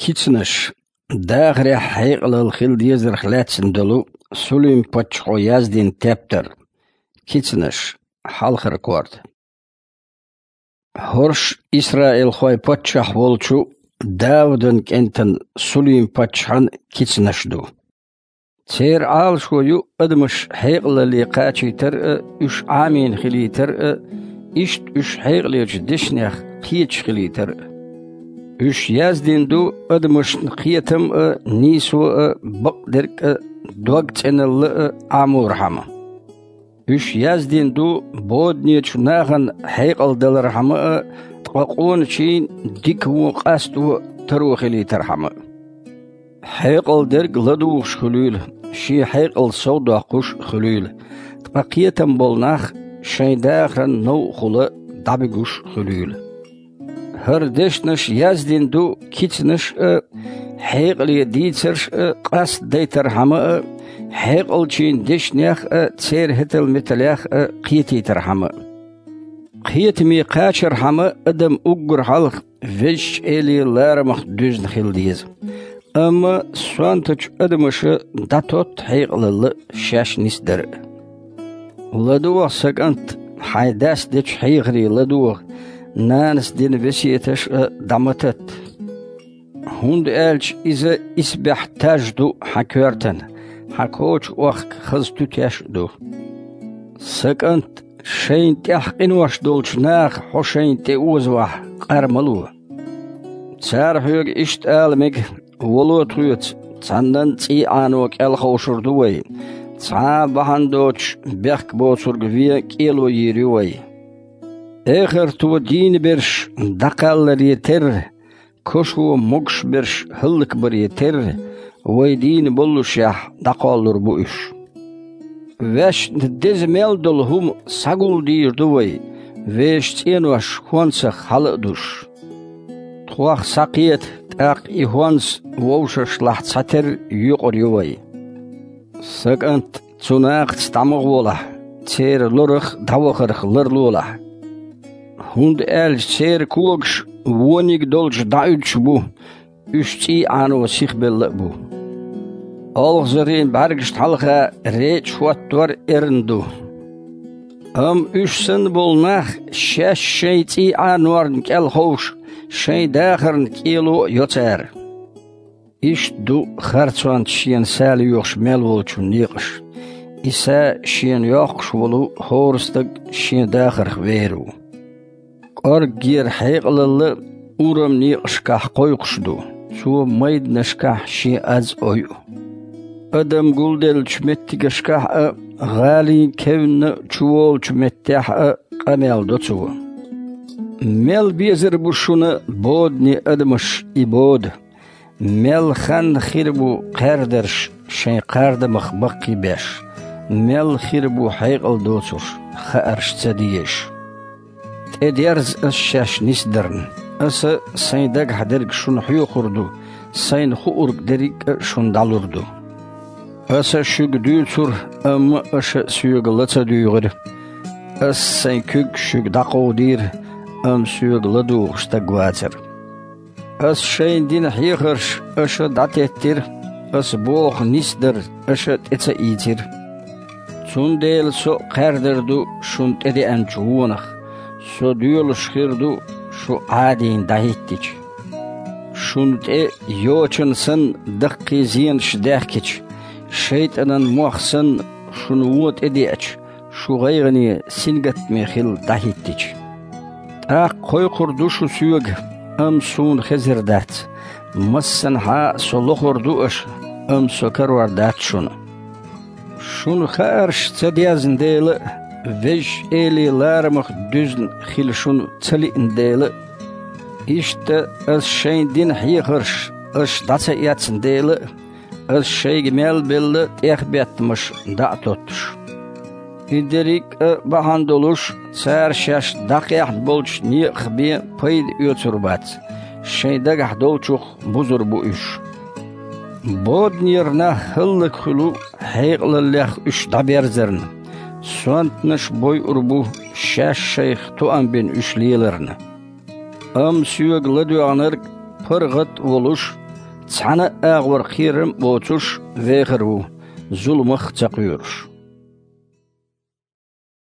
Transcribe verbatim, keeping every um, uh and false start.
Кицанаш. Дахарехь хьекъалалла хила дезарх лаьцна долу Сулим-паччахьо яздина тептар. Кицанаш. Хьалхара корта. ХӀорш исраилхойн паччахь волчу Даудан кӀентан Сулим-паччахьан кицанаш ду. Церан Ӏалашо ю адамаш хьекъалалле кхачийтар а, уьш Ӏамийна хилийтар а, иштта уьш хьекъалечу дешнех кхеташ хилийтар а. Уьш яздина ду адамашна кхетам а, нийсо а, бакъдерг а, догцӀеналла а Ӏаморхьама. Уьш яздина ду боданечу нахана хьекъал далархьама а, ткъа къоначийн дика вон къасто а таро хилийтархьама а. Хьекъал дерг ладугӀуш хуьлийла, шен хьекъал сов доккхуш а хуьлийла, ткъа кхетам болу нах шайн дахаран новкъахула дӀабуьгуш а хуьлийла. ХӀара дешнаш яздина ду кицанаш а, хьекъале дийцарш а къастадайтархьама а, хьекъалчийн дешнех а, церан хӀетал-металех а кхетийтархьама а. Кхетаме кхачархьама адам уггар хьалха Везачу Эле ларамах дуьзна хила деза. Амма сонтачу адамаша дӀатотта хьекъалалла шаьш нисдар а. ЛадогӀа, сан кӀант, хьайн дас дечу хьехаре ладогӀа, нанас дина весеташ а дӀа ма татта. ХӀунда аьлча иза исбаьхьа таж ду хьан коьртана, хьан коча охка хаза туьтеш а ду. Сан кӀант, шайна тӀехь къинош долчу наха хьо шайна тӀе озавахь, къар ма ло. Цара хьоьга иштта ала мега: «Вало тхоьца, цхьаннан цӀий Ӏано кӀел ховшур ду вай, цхьа а бахьана доцуш бехк боцург вен кӀело йийр ю вай». Эхарто дийна берш дӀакхалларе терра, кошо могуш берш хӀаллакбаре терра, вай дийна боллушехь дӀакхоллур бу уьш. Ваьшна деза мел долу хӀума схьагулдийр ду вай, вешан цӀенош хӀонсах хьала а душ. Тхох схьакхета, тӀаккха и хӀонс вовшашлахь цхьатерра йоькъур ю вай. Сан кӀант, цу нахаца дӀа ма гӀолахь, церан лорах дӀавахарх ларлолахь. ХӀунда аьлча церан когаш вониг долчу дӀауьдуш бу, уьш цӀий Ӏано сихбелла а бу. Олхазарийн бӀаьргашна хьалха речӀа хӀоттор эрна ду. Амма уьш санна болу нах, шаьш шайн цӀий Ӏанорна кӀел ховш, шайн дахарна кӀело а йо цара. Иштта ду харцонца шена са лоьхуш мел волчун некъаш. И са шена йоккхуш волу хӀора стаг шен дахарх вер ву. КӀорггера хьекъалалла урам некъашкахь кхойкхуш ду, цо майданашкахь шен аз ойу. Адам гулделлачу меттигашкахь а, гӀалин кевнна чуволучу меттехь а къамел до цо. Мел безар бу шуна бодане адамаш и бода! Мел хан хир бу кхаьрдарш шайн кхардамах баккхий беш, мел хир бу хьекъал доцурш, хаарш ца дезаш. ТӀедерза ас шаьш нисдарна. Аса сайн дагахь дерг шуна хьоьхур ду, сайна хуург дерриг а шуна дӀалур ду. Аса шуьга дуьйцура, амма аша соьга ла ца дуьйгӀира. Аса сайн куьг шуьга дӀакховдийра, амма соьга ладугӀуш стаг вацара. Ас шайна дина хьехарш аша дӀатеттира, ас боху нисдар аша тӀе ца ийцира. Цундела со а кхаьрдар ду шуна тӀедеанчу вонах, со доьлуш хир ду шу Ӏадийна дӀахӀиттича. Шуна тӀе йочана санна даккхий зенаш даьхкича, шайтӀанан мох санна шуна вон тӀедеача, шу гӀайгӀане, сингаттаме хилла дӀахӀиттича. ТӀаккха кхойкхур ду шу соьга, амма суна хезар дац. Массанхьа а со лохур ду аша, амма со карор дац шуна. Шуна хаарш ца дезна дела а, Везачу Эле ларамах дуьзна хила шуна ца лиъна дела а, иштта ас шайна дина хьехарш аша дӀа ца эцна дела а, ас шайга мел белла тӀехбеттамаш дӀа а тоттуш. И дерриг а бахьана долуш, цара шаьш дӀакхехьна болчу некъах бен пайда оьцур бац, шайн дагахь долчух бузур бу уьш. Боданера нах хӀаллакьхуьлу хьекъалаллех уьш дӀаберзарна, сонтанаш бойур бу шаьш шайх тоам бина уьш леларна. Амма соьга ладоьгӀнарг паргӀат а волуш, Цхьана а агӀор кхерам а боцуш вехар ву, зуламах а ца кхоьруш.